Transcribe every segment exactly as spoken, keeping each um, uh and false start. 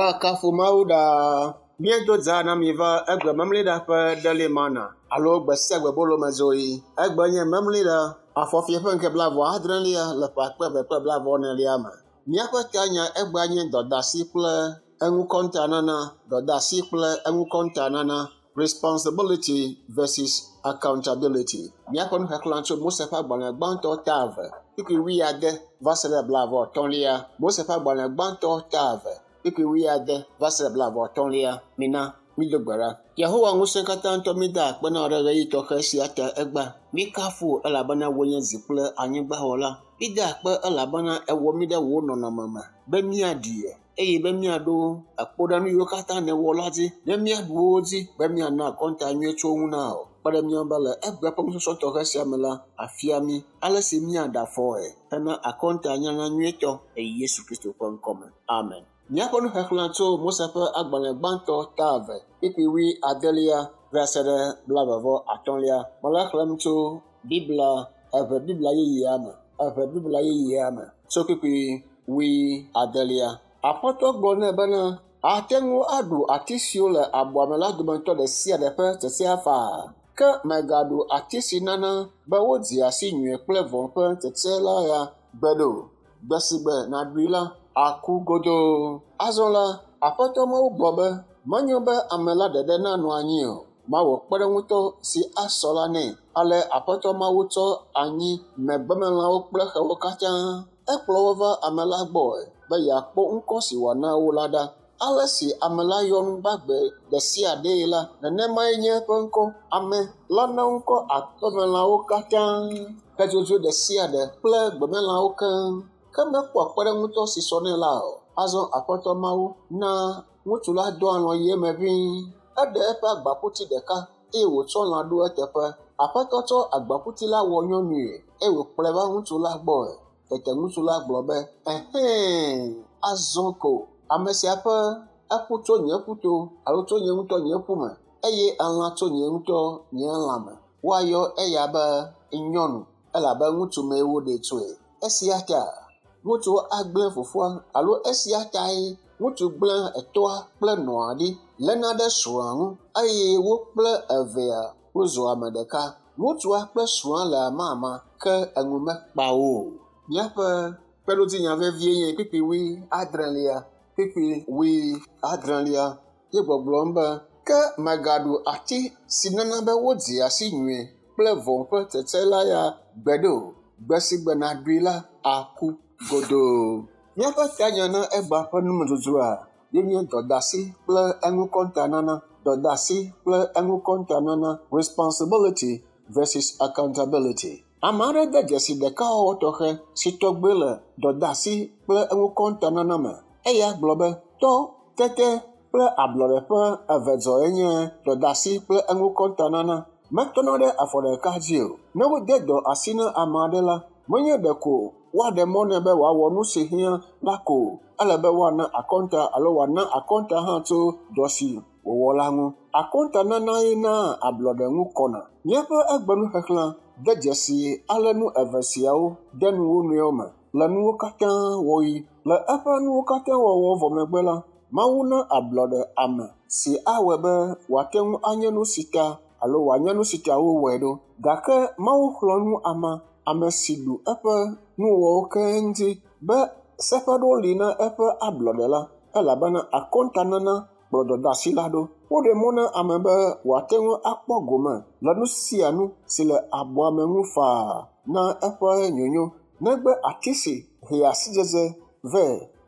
Woakafu Mawu ɖaa. Míedo dza na mi va egbe memleɖa ƒe Daily Manna alo gbe sia gbe bolomezoɣi. Egbe nye memleɖa afɔfie ƒe ŋkeke blaeve adrelia le ƒe akpe eve kple blaeve enelia me. Míaƒe tanya egbea nye dɔdasi kple eŋukɔntanana, dɔdasi kple eŋukɔntanana, responsibility versus accountability. Míaƒe nuxexlẽ tso Mose ƒe agbalẽ gbãtɔ ta eve, kpukpui wuiade va se ɖe blaeve atɔ̃lia. Mose ƒe agbalẽ gbãtɔ ta eve, kpukpui wuiade va se ɖe blaeve atɔ̃lia. Mina mído gbe ɖa. Yehowa ŋusẽ katã ŋutɔ mída akpe na wò ɖe ɣeyiɣi tɔxɛ sia ta egbea. Míkafu wò elabena wòe nye dzi kple anyigba wɔla. Mída akpe elabena èwɔ mí ɖe wò nɔnɔme me be míaɖi eye be míaɖo akpo ɖe nu yiwo katã nèwɔ la dzi, be míaɖu wo dzi, be míana akɔnta nyuie tso wo ŋu na wò. Kpe ɖe mía ŋu be le egbe ƒe nusɔsrɔ̃ tɔxɛ sia me la, afia mí ale si míaɖe afɔe hena akɔntanyanya nyuietɔ le Yesu Kristo ƒe ŋkɔme. Amen. Míaƒe nuxexlẽ tso Mose ƒe agbalẽ gbãtɔ ta eve, kpukpui wuiadelia va se ɖe blaeve vɔ atɔ̃lia. Mele exlẽm tso Biblia eve Biblia yeyea me, eve Biblia yeyea me tso kpukpui wuiadelia. Aƒetɔ gblɔ nɛ bena, ate ŋu aɖu ati siwo le abɔa me la dometɔ ɖe sia ɖe ƒe tsetsea faa, ke mègaɖu ati si nana be wodzea si nyui kple vɔ̃ ƒe tsetse la ya gbeɖe o. Gbe si gbe nàɖui la, aku godoo. Azɔ la, Aƒetɔ Mawu gblɔ be, menyo be ame la ɖeɖe nanɔ anyi o. Mawɔ kpeɖeŋutɔ si asɔ la nɛ. Ale Aƒetɔ Mawu tsɔ anyi me gbemelãwo kple xewo katã. Ekplɔ wo va ame la gbɔe be yeakpɔ ŋkɔ si wòana wo la ɖa. Ale si ame la yɔ nu gbagbe ɖe sia ɖee la, nenemae nye eƒe ŋkɔ. Ame la na ŋkɔ aƒemelãwo katã, xe dzodzoe ɖe sia ɖe kple gbemelãwo keŋ. Ke mekpɔ kpeɖeŋutɔ si sɔ nɛ la o. Azɔ Aƒetɔ Mawu na ŋutsu la dɔ alɔ̃ yi eme ʋĩi. Eɖe eƒe agbaƒuti ɖeka eye wòtsɔ lã ɖo eteƒe. Aƒetɔ tsɔ agbaƒuti la wɔ nyɔnui eye wòkplɔe va ŋutsu la gbɔe. Tete ŋutsu la gblɔ be, ehɛ̃, azɔ ko ame sia ƒe eƒu tso nye ƒuto alo tso nye ŋutɔ nye ƒu me eye elã tso nye ŋutɔ nye lãme. Woayɔ eya be nyɔnu elabe ŋutsu mee woɖee tsoe. Esia ta ŋutsu agblẽ fofoa alo esia tae ŋutsu gblẽ etɔa kple nɔa ɖi léna ɖe srɔ̃a ŋu eye wo kple evea wozu ame ɖeka. Ŋutsua kple srɔ̃a le amama ke enu mekpa wo o. Míaƒe kpeɖodzinya vevie nye kpukpui wuiadrelia, kpukpui wuiadrelia ye gbɔgblɔm be, ke mègaɖu ati si nana be wodzea si nyui kple vɔ̃ ƒe tsetse la ya gbeɖe o. Gbe si gbe nàɖui la, aku godoo. Míaƒe tanya na egbea ƒe numedzodzroa ye nye dɔdasi kple eŋukɔntanana, dɔdasi kple eŋukɔntanana, responsibility versus accountability. Ame aɖe de dzesi ɖekawɔwɔ tɔxɛ si tɔgbe le dɔdasi kple eŋukɔntanana me. Eya gblɔ be, tɔ, tete kple ablɔɖe ƒe eve zɔe nye dɔdasi kple eŋukɔntanana. Metɔna ɖe afɔ ɖeka dzi o. Ne wode dɔ asi na ame aɖe la, menye ɖeko woaɖe mɔ nɛ be wòawɔ nu si hiã la ko o. Ele be woana akɔnta alo wòana akɔnta hã tso dɔ si wòwɔ la ŋu. Akɔntananae naa ablɔɖe ŋu kɔna. Míaƒe egbenuxexlẽ de dzesi ale nu eve siawo de nu wo nɔewo me le nuwo katã wɔɣi. Le eƒe nuwo katã wɔwɔ vɔ megbe la, Mawu na ablɔɖe ame si awɔe be wòate ŋu anye nu si ta alo wòanye nu si ta wowɔe ɖo. Gake Mawu xlɔ̃ nu ame ame si ɖu eƒe nuwɔwɔwo keŋ dzi be seƒe ɖewo li na eƒe ablɔɖe la elabena akɔntanana kplɔ dɔdasi la ɖo. Woɖe mɔ na ame be wòate ŋu akpɔ gome le nu sia nu si le abɔa me ŋu faa na eƒe nyonyo negbe ati si hea sidzedze vɛ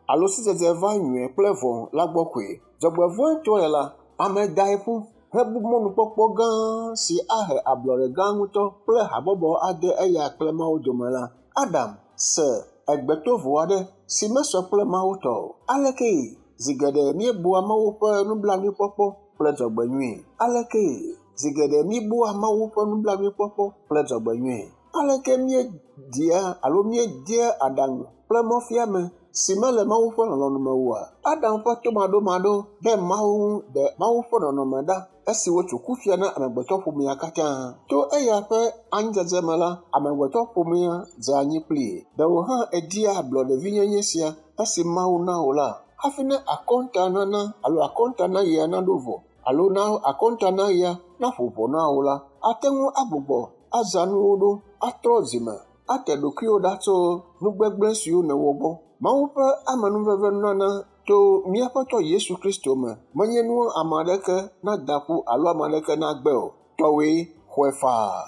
alo sidzedze va nyui kple vɔ̃ la gbɔ koe. Dzɔgbevɔ̃etɔe la, ame dae ƒu hebu mɔnukpɔkpɔ gã si ahe ablɔɖe gã ŋutɔ kple habɔbɔ ade eya kple Mawu dome la. Adam se egbetovo aɖe si mesɔ kple Mawu tɔ o. Alekee zi geɖe míebua Mawu ƒe nublanuikpɔkpɔ kple dzɔgbenyui? Alekee zi geɖe míebua Mawu ƒe nublanuikpɔkpɔ kple dzɔgbenyui? Aleke míedia alo míedea aɖaŋu kple mɔfiame si mele Mawu ƒe lɔlɔ̃nu me oa? Adam ƒe tomaɖomaɖo ɖe Mawu ŋu ɖe Mawu ƒe nɔnɔme ɖa esi wotso kufia na amegbetɔƒomea katã. To eya ƒe anyidzedze me la, amegbetɔƒomea dze anyi kplii. Ɖe wò hã èdia ablɔɖevinyenye sia esi Mawu na wò la? Hafi ne akɔnta nana alo akɔnta na yia naɖo vɔ alo na akɔnta na yia naƒo ʋɔ na wo la, ate ŋu agbugbɔ azã nuwo ɖo, atrɔ dzime, ate ɖokuiwò ɖa tso nugbegblẽ siwo nèwɔ gbɔ. Mawu ƒe amenuveve nunana to míaƒe tɔ Yesu Kristo me menye nu ame aɖeke nada ƒu alo ame aɖeke nagbe o. Tɔwoe xɔe faa.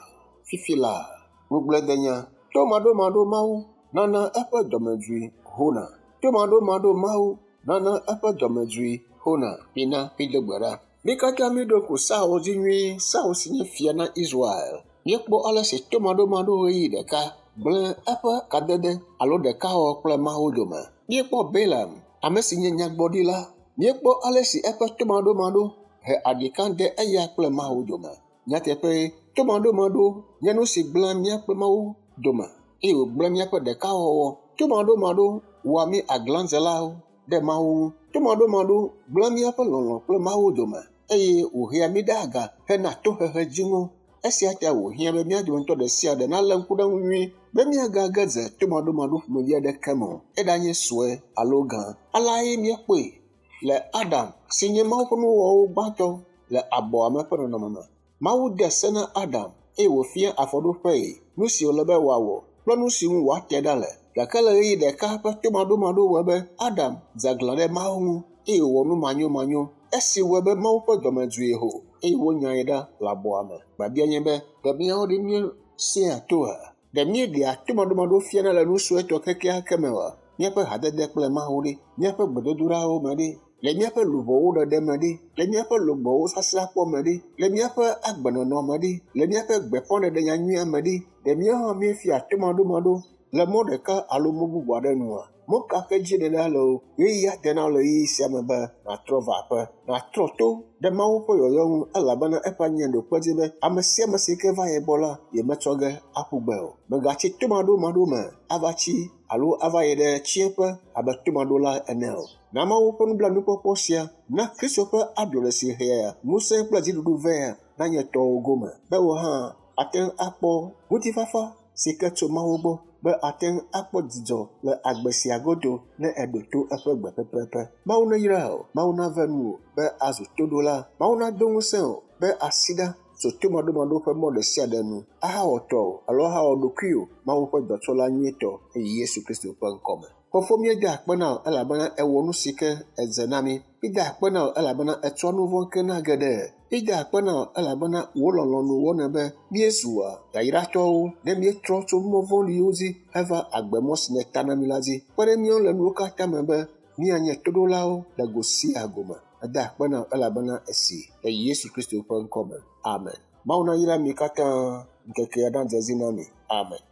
Fifi la, ŋugbledenya. Tomaɖomaɖo Mawu nana eƒe dɔmedzoe hona. Tomaɖomaɖo Mawu nana eƒe dɔmedzoe hona. Mina mído gbe ɖa. Mí katã míɖo ŋku Saul dzi nyuie. Saul si nye fia na Israel. Míekpɔ ale si tomaɖomaɖo ɣeyiɣi ɖeka gblẽ eƒe kadede alo ɖekawɔwɔ kple Mawu dome. Míekpɔ Balaam, ame si nye nyagblɔɖila. Míekpɔ ale si eƒe tomaɖomaɖo he aɖika de eya kple Mawu dome. Nyateƒe, tomaɖomaɖo nye nu si gblẽa mía kple Mawu dome eye wògblẽ míaƒe ɖekawɔwɔ. Tomaɖomaɖo wɔa mí aglãdzelawo ɖe Mawu ŋu. Tomaɖomaɖo gblẽa míaƒe lɔlɔ̃ kple Mawu dome eye wòhea mí ɖe aga hena tohehe dziŋɔ. Esia ta wòhiã be mía dometɔ ɖe sia ɖe nalé ŋku ɖe eŋu nyuie be míagage dze tomaɖomaɖo ƒomevi aɖeke me o, eɖanye sue alo gã. Aleae míekpɔe le Adam si nye Mawu ƒe nuwɔwɔwo gbãtɔ le abɔa me ƒe nɔnɔme me. Mawu de se na Adam eye wòfia afɔɖoƒee nu si wòle be wòawɔ kple nu si ŋu wòate ɖa le. Gake le ɣeyiɣi ɖeka ƒe tomaɖomaɖo wɔe be Adam dze aglã ɖe Mawu ŋu eye wòwɔ nu manyomanyo. Esi wɔe be Mawu ƒe dɔmedzoe ho eye wonyae ɖa le abɔa me. Biabia nye be, ɖe míawo ɖe míesẽa toa? Ɖe míeɖea tomaɖomaɖo fiana le nu suetɔ kekeake me oa? Míaƒe hadede kple Mawu ɖe, míaƒe gbedodoɖawo me ɖe, le míaƒe luʋɔwo ɖeɖe me ɖe, le míaƒe lugbɔwo sasrãkpɔ me ɖe, le míaƒe agbenɔnɔ me ɖe, le míaƒe gbeƒãɖeɖe nyanyuia me ɖe, ɖe míawo hã míefia tomaɖomaɖo le mɔ ɖeka alo mɔ bubu aɖe nua? Mɔ ka ke dzi nèɖa le o, ɣeyiɣi ade na wò le ɣeyiɣi sia me be nàtrɔ va aƒe, nàtrɔ to ɖe Mawu ƒe yɔyɔ ŋu elabena eƒe anya ɖo kpe dzi be ame sia ame si ke va ye gbɔ la, yemetsɔ ge aƒu gbe o. Mègatsi tomaɖomaɖo me ava tsi alo ava yi ɖe tsiẽƒe abe tomaɖola ene o. Na Mawu ƒe nublanuikpɔkpɔ sia na Kristo ƒe ablɔɖe si hea ŋusẽ kple dziɖuɖu vɛ nanye tɔwò gome be wò hã ate ŋu akpɔ ŋutifafa si ke tso Mawu gbɔ be ate ŋu akpɔ dzidzɔ le agbe sia godo ne èɖo to eƒe gbe pɛpɛpɛ. Mawu neyra wò, Mawu nave nuwò be azu toɖola, Mawu nado ŋusẽ wò be asi ɖa tso tomaɖomaɖo ƒe mɔ ɖe sia ɖe nu ahawɔ tɔwò alo ahawɔ ɖokuiwò Mawu ƒe dɔtsɔla nyuietɔ eye Yesu Kristo ƒe ŋkɔme. Fofo, míeda akpe na wò elabena èwɔ nu si ke edze na mí. Míeda akpe na wò elabena ètsɔ nu vɔ̃ ke na geɖe. Míeda akpe na wò elabena wò lɔlɔ̃nu wɔnɛ be míezua yayratɔwo ne míetrɔ tso mɔ vɔ̃ɖiwo dzi heva agbemɔ si nèta na mí la dzi. Kpe ɖe míawo le nuwo katã me be míanye toɖolawo le go sia go me. Eda akpe na wò elabena èsi le Yesu Kristo ƒe ŋkɔme. Amen. Mawu nayra mi katã ŋkekea nadze edzi na mi. Amen.